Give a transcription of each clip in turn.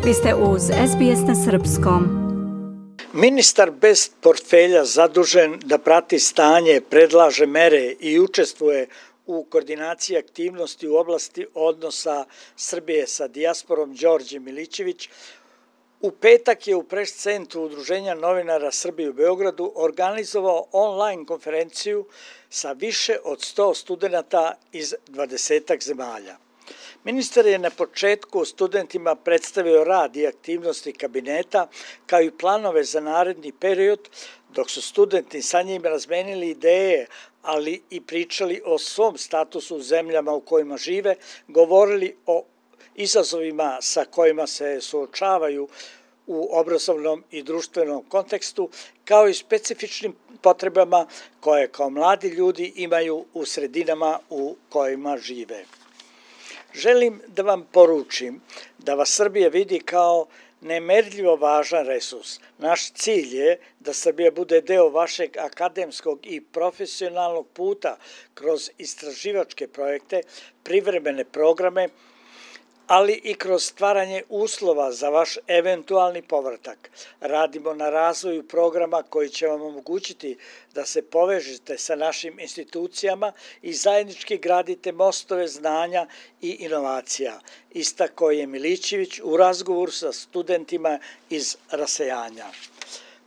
Vi ste uz SBS na srpskom. Ministar bez portfelja zadužen da prati stanje, predlaže mere i učestvuje u koordinaciji aktivnosti u oblasti odnosa Srbije sa dijasporom Đorđe Milićević u petak je u Press centru Udruženja novinara Srbije u Beogradu organizovao online konferenciju sa više od 100 studenata iz 20 zemalja. Ministar je na početku studentima predstavio rad i aktivnosti kabineta kao i planove za naredni period, dok su studenti sa njim razmenili ideje, ali i pričali o svom statusu u zemljama u kojima žive, govorili o izazovima sa kojima se suočavaju u obrazovnom i društvenom kontekstu, kao i specifičnim potrebama koje kao mladi ljudi imaju u sredinama u kojima žive. Želim da vam poručim da vas Srbija vidi kao nemerljivo važan resurs. Naš cilj je da Srbija bude deo vašeg akademskog i profesionalnog puta kroz istraživačke projekte, privremene programe, ali i kroz stvaranje uslova za vaš eventualni povratak. Radimo na razvoju programa koji će vam omogućiti da se povežete sa našim institucijama i zajednički gradite mostove znanja i inovacija, istakao je Milićević u razgovoru sa studentima iz rasejanja.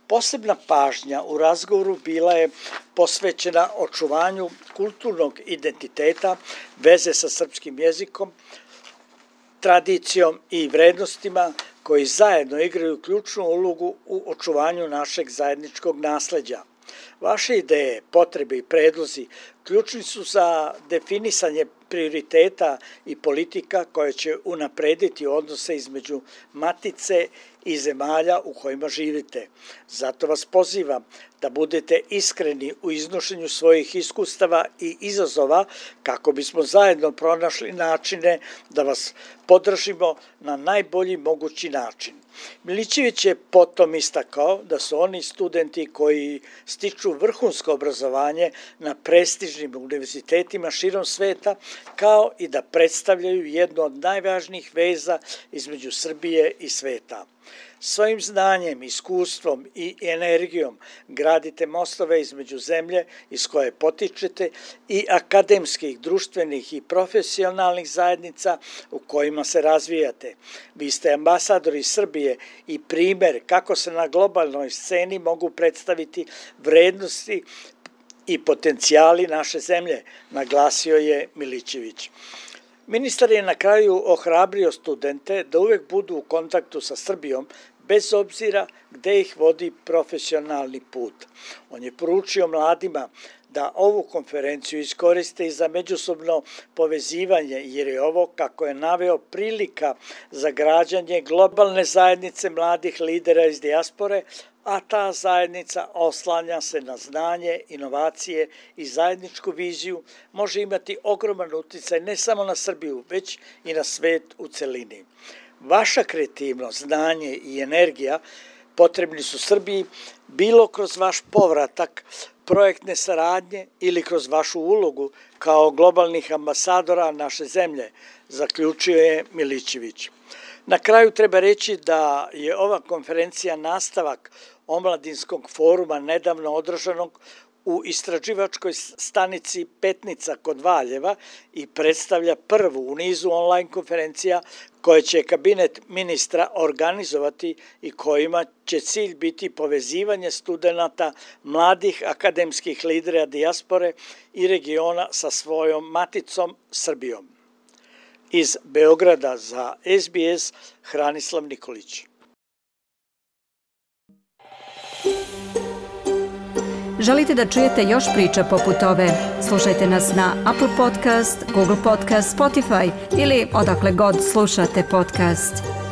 Posebna pažnja u razgovoru bila je posvećena očuvanju kulturnog identiteta, veze sa srpskim jezikom, tradicijom i vrednostima koji zajedno igraju ključnu ulogu u očuvanju našeg zajedničkog nasleđa. Vaše ideje, potrebe i predlozi ključni su za definisanje prioriteta i politika koje će unaprediti odnose između matice i zemalja u kojima živite. Zato vas pozivam da budete iskreni u iznošenju svojih iskustava i izazova kako bismo zajedno pronašli načine da vas podržimo na najbolji mogući način. Milićević je potom istakao da su oni studenti koji stiču vrhunsko obrazovanje na prestižnim univerzitetima širom sveta, kao i da predstavljaju jednu od najvažnijih veza između Srbije i sveta. Svojim znanjem, iskustvom i energijom gradite mostove između zemlje iz koje potičete i akademskih, društvenih i profesionalnih zajednica u kojima se razvijate. Vi ste ambasadori Srbije i primer kako se na globalnoj sceni mogu predstaviti vrednosti i potencijali naše zemlje, naglasio je Milićević. Ministar je na kraju ohrabrio studente da uvek budu u kontaktu sa Srbijom, bez obzira gde ih vodi profesionalni put. On je poručio mladima da ovu konferenciju iskoriste i za međusobno povezivanje, jer je ovo, kako je naveo, prilika za građanje globalne zajednice mladih lidera iz dijaspore, a ta zajednica oslanja se na znanje, inovacije i zajedničku viziju, može imati ogroman uticaj ne samo na Srbiju, već i na svet u celini. Vaša kreativnost, znanje i energija potrebni su Srbiji bilo kroz vaš povratak, projektne saradnje ili kroz vašu ulogu kao globalnih ambasadora naše zemlje, zaključio je Milićević. Na kraju treba reći da je ova konferencija nastavak omladinskog foruma nedavno održanog u istraživačkoj stanici Petnica kod Valjeva i predstavlja prvu u nizu online konferencija koje će kabinet ministra organizovati i kojima će cilj biti povezivanje studenata, mladih akademskih lidera dijaspore i regiona sa svojom maticom Srbijom. Iz Beograda za SBS Hranislav Nikolić. Želite da čujete još priča poput ove? Slušajte nas na Apple Podcast, Google Podcast, Spotify ili odakle god slušate podcast.